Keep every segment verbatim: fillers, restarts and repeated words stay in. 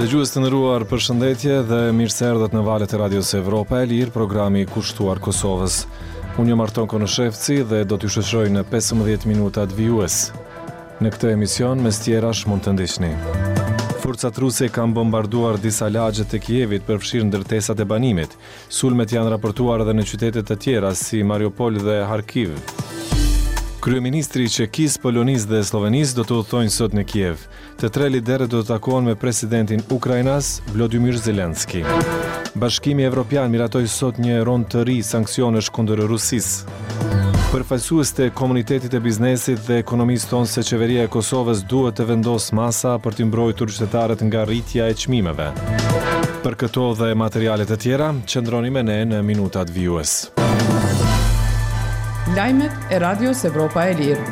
Dëgjues të nderuar, përshëndetje dhe mirë se erdhët në valët e Radios Evropa e Lirë, programi kushtuar Kosovës. Unë jam Arton Konushevci dhe do t'ju shoqëroj në pesëmbëdhjetë minutat vijues. Në këtë emision, mes tjerash, mund të ndiqni. Forcat ruse kanë bombarduar disa lagje të Kievit, përfshirë ndërtesat e banimit. Sulmet janë raportuar edhe në qytete të tjera si Mariupol dhe Kharkiv. Kryeministri i Çekisë, Polonisë dhe Sllovenisë do të udhëtojnë sot në Kiev. Të tre liderët do të takohen me presidentin ukrainas Volodymyr Zelensky. Bashkimi Evropian miratoi sot një rond të ri sanksionesh kundër Rusisë. Përfaqësuesit e komunitetit të biznesit dhe ekonomisë thonë se qeveria e Kosovës duhet të vendosë masa për të mbrojtur qytetarët nga rritja e çmimeve. Për këto dhe materiale të tjera, qëndroni me ne në minutat vijues. Lajmet e Radios Evropa e Lirë.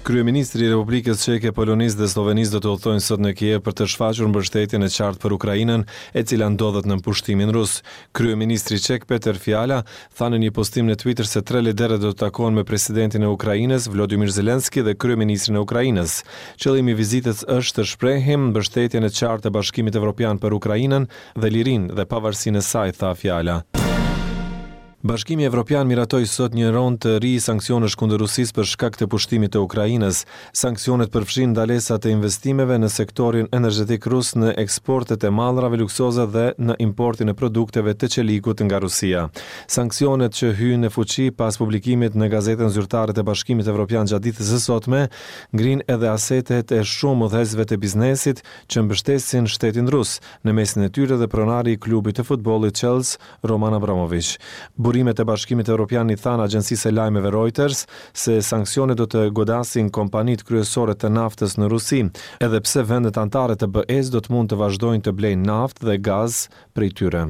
Kryeministri i Republikës Çeke, Polonisë dhe Sllovenisë do të udhëtojnë sot në Kiev për të shfaqur mbështetjen e qartë për Ukrainën, e cila ndodhet në pushtimin rus. Kryeministri çek Peter Fiala tha në një postim në Twitter se tre liderët do të takohen me presidentin e Ukrainës, Volodymyr Zelensky dhe kryeministrin e Ukrainës. Qëllimi i vizitës është të shprehim mbështetjen e qartë të Bashkimit Evropian për Ukrainën dhe lirinë dhe pavarësinë e saj, tha Fiala. Bashkimi Evropian miratoi sot një rond të ri sanksionesh kundër Rusisë për shkak të pushtimit të Ukrainës. Sanksionet përfshijnë ndalesat e investimeve në sektorin energjetik rus, në eksportet e mallrave luksoze dhe në importin e produkteve të çelikut nga Rusia. Sanksionet që hyjnë në fuqi pas publikimit në gazetën zyrtare të Bashkimit Evropian gjatë ditës së sotme, ngrinë edhe asetet e shumë udhëheqësve të biznesit që mbështesin shtetin rus, në mesin e tyre dhe pronari i klubit të futbollit Chelsea, Roman Abramovich. Burimet e Bashkimit Evropian i thanë agjencisë së lajmeve Reuters se sanksionet do të godasin kompanitë kryesore të naftës në Rusi, edhe pse vendet anëtare të B E-s do të mund të vazhdojnë të blejnë naftë dhe gaz prej tyre.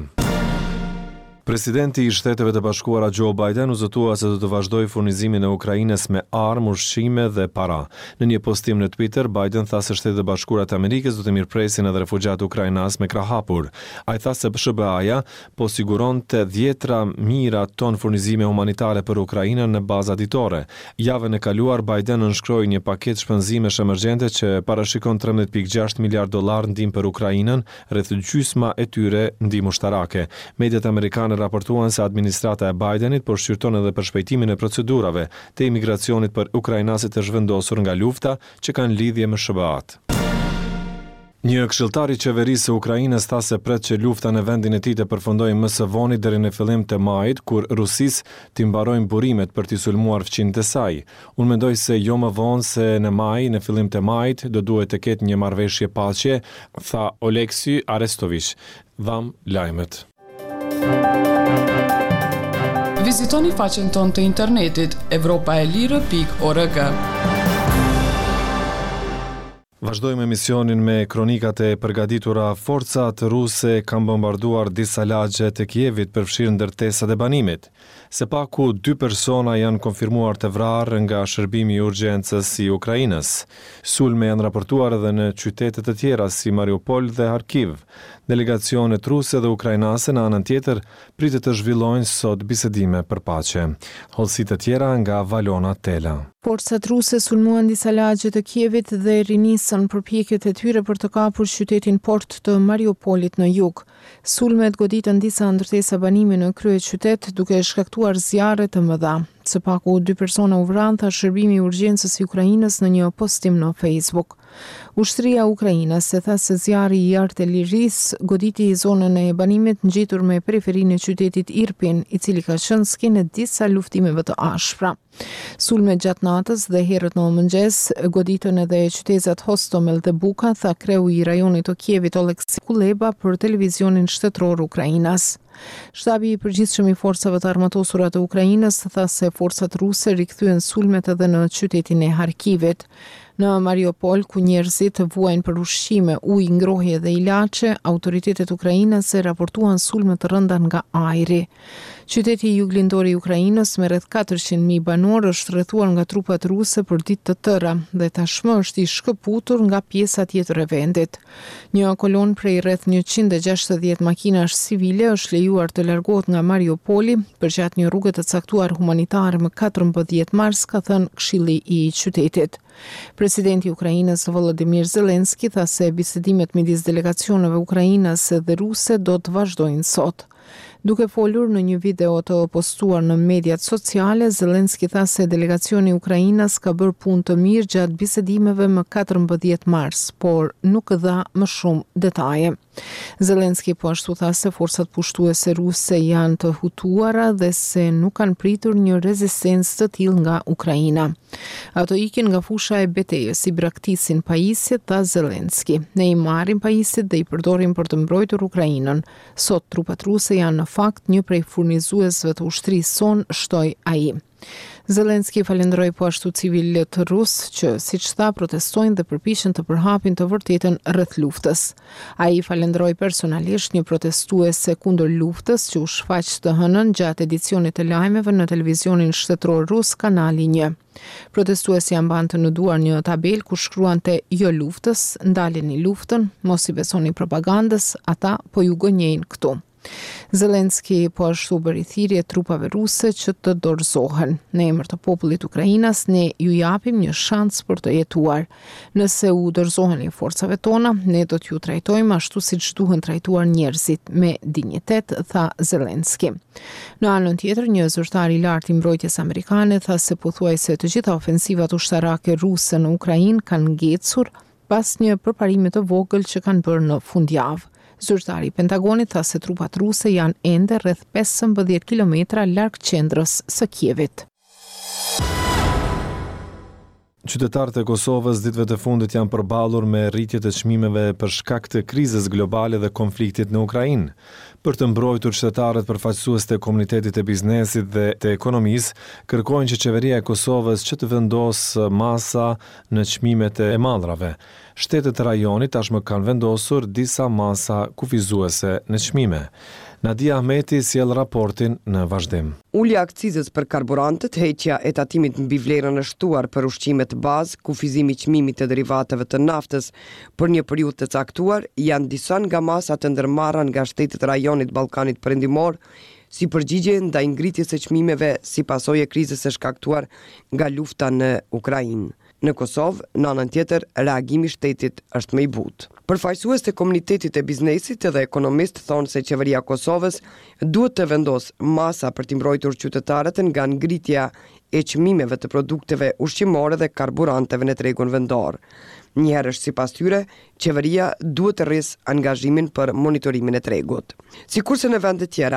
Presidenti i Shteteve të Bashkuara Joe Biden u zotua se do të vazhdojë furnizimin e Ukrainës me armë, ushqime dhe para. Në një postim në Twitter, Biden tha se Shtetet e Bashkuara të Amerikës do të mirëpresin edhe refugjat ukrainas me krah hapur. Ai tha se S H B A-ja po siguronte dhjetra mijëra ton furnizime humanitare për Ukrainën në baza ditore. Javën e kaluar Biden nënshkroi një paketë shpenzimesh emergjente që parashikon trembëdhjetë pikë gjashtë miliard dollar ndihmë për Ukrainën, rreth gjysma e tyre ndihmë ushtarake. Mediat amerikane raportuan se administrata e Bidenit po shqyrton edhe përshpejtimin e procedurave të imigracionit për ukrainasit të zhvendosur nga lufta që kanë lidhje me S H B A-t. Një këshilltar i qeverisë së Ukrainës tha se pret që lufta në vendin e tij të përfundojë më së voni deri në fillim të majit, kur Rusisë t'i mbarojnë burimet për t'i sulmuar fqinjët e saj. "Unë mendoj se jo më vonë se në maj, në fillim të majit, do duhet të ketë një marrëveshje paqe", tha Oleksiy Arestovich. Dham lajmet. Vizitoni faqen tonë të internetit evropaelire pikë org. Vazhdojmë emisionin me kronikat e përgatitura. Forcat ruse kanë bombarduar disa lagje të Kievit, përfshirë ndërtesat e banimit. Së paku dy persona janë konfirmuar të vrarë nga shërbimi i urgjencës i Ukrainës. Sulme janë raportuar edhe në qytete të tjera si Mariupol dhe Kharkiv. Delegacionet ruse dhe ukrainase, në anën tjetër, pritet të zhvillojnë sot bisedime për paqe. Hollësi të tjera nga Valona Tela. Forcat ruse sulmuan disa lagje të Kievit dhe rinisën përpjekjet e tyre për të kapur qytetin port të Mariupolit në jug. Sulmet goditën disa ndërtesa banimi në kryeqytet, duke shkaktuar zjarre të mëdha. Së paku dy persona u vranë, tha shërbimi i urgjencës i Ukrainës në një postim në Facebook. Ushtria ukrainase tha se zjarri i artillerisë goditi zonën e banimit ngjitur me periferinë e qytetit Irpin, i cili ka qenë skenë e disa luftimeve të ashpra. Sulmet gjatë natës dhe herët në mëngjes goditën edhe qytetet Hostomel dhe Buka, tha kreu i rajonit të Kievit, Oleksiy Kuleba, për televizionin shtetëror ukrainas. Shtabi i përgjithshëm i forcave të armatosura të Ukrainës tha se forcat ruse rikthyen sulmet edhe në qytetin e Harkivit. Në Mariupol, ku njerëzit vuajnë për ushqime, ujë, ngrohje dhe ilaçe, autoritetet ukrainase raportuan sulme të rënda nga ajri. Qyteti juglindor i Ukrainës me rreth katërqind mijë banorë është rrethuar nga trupat ruse për ditë të tëra dhe tashmë është i shkëputur nga pjesa tjetër e vendit. Një kolonë prej rreth njëqind e gjashtëdhjetë makinash civile është lejuar të largohet nga Mariupoli përgjatë një rruge të caktuar humanitare më katërmbëdhjetë mars, ka thënë Këshilli i Qytetit. Presidenti i Ukrainës Volodymyr Zelensky tha se bisedimet midis delegacioneve ukrainase dhe ruse do të vazhdojnë sot. Duke folur në një video të postuar në mediat sociale, Zelensky tha se delegacioni ukrainas ka bërë punë të mirë gjatë bisedimeve më katërmbëdhjetë mars, por nuk dha më shumë detaje. Zelensky po ashtu tha se forcat pushtuese ruse janë të hutuara dhe se nuk kanë pritur një rezistencë të tillë nga Ukraina. Ato ikin nga fusha e betejës, i braktisin pajisjet, tha Zelensky. Ne i marrim pajisjet dhe i përdorim për të mbrojtur Ukrainën. Sot trupat ruse janë në fakt një prej furnizuesve të ushtrisë sonë, shtoi ai. Zelensky falënderoi po ashtu civilët rusë që, siç tha, protestojnë dhe përpiqen të përhapin të vërtetën rreth luftës. Ai falënderoi personalisht një protestuese kundër luftës që u shfaq të hënën gjatë edicionit të lajmeve në televizionin shtetëror rus Kanali një. Protestuesja mbante në duar një tabelë ku shkruante jo luftës, ndaleni luftën, mos i besoni propagandës, ata po ju gënjejnë këtu. Zelensky po ashtu bëri thirrje trupave ruse që të dorëzohen. Në emër të popullit ukrainas, ne ju japim një shans për të jetuar. Nëse u dorëzoheni forcave tona, ne do t'ju trajtojmë ashtu siç duhen trajtuar njerëzit, me dinjitet, tha Zelensky. Në anën tjetër, një zyrtar i lartë i mbrojtjes amerikane tha se pothuajse të gjitha ofensivat ushtarake ruse në Ukrainë kanë ngecur pas një përparimi të vogël që kanë bërë në fundjavë. Zyrtari i Pentagonit tha se trupat ruse janë ende rreth pesëmbëdhjetë kilometra larg qendrës së Kievit. Qytetarët e Kosovës ditëve të fundit janë përballur me rritje të çmimeve për shkak të krizës globale dhe konfliktit në Ukrainë. Për të mbrojtur qytetarët, përfaqësues të komunitetit të biznesit dhe të ekonomisë kërkojnë që qeveria e Kosovës që të vendosë masa në çmimet e mallrave. Shtetet e rajonit tashmë kanë vendosur disa masa kufizuese në çmime. Nadia Ahmeti sjell raportin në vazhdim. Ulja e akcizës për karburantet, heqja e tatimit mbi vlerën e shtuar për ushqimet bazë, kufizimi i çmimit të derivateve të naftës për një periudhë të caktuar, janë disa nga masat e ndërmarra nga shtetet e rajonit Ballkanit Perëndimor si përgjigje ndaj ngritjes së çmimeve si pasojë e krizës së shkaktuar nga lufta në Ukrainë. Në Kosovë, në anën tjetër, reagimi i shtetit është më i butë. Përfaqësues të komunitetit të biznesit dhe ekonomistë thonë se qeveria e Kosovës duhet të vendosë masa për t'i mbrojtur qytetarët nga ngritja e çmimeve të produkteve ushqimore dhe karburanteve në tregun vendor. Njëherësh, sipas tyre, qeveria duhet të rrisë angazhimin për monitorimin e tregut. Sikurse në vende tjera,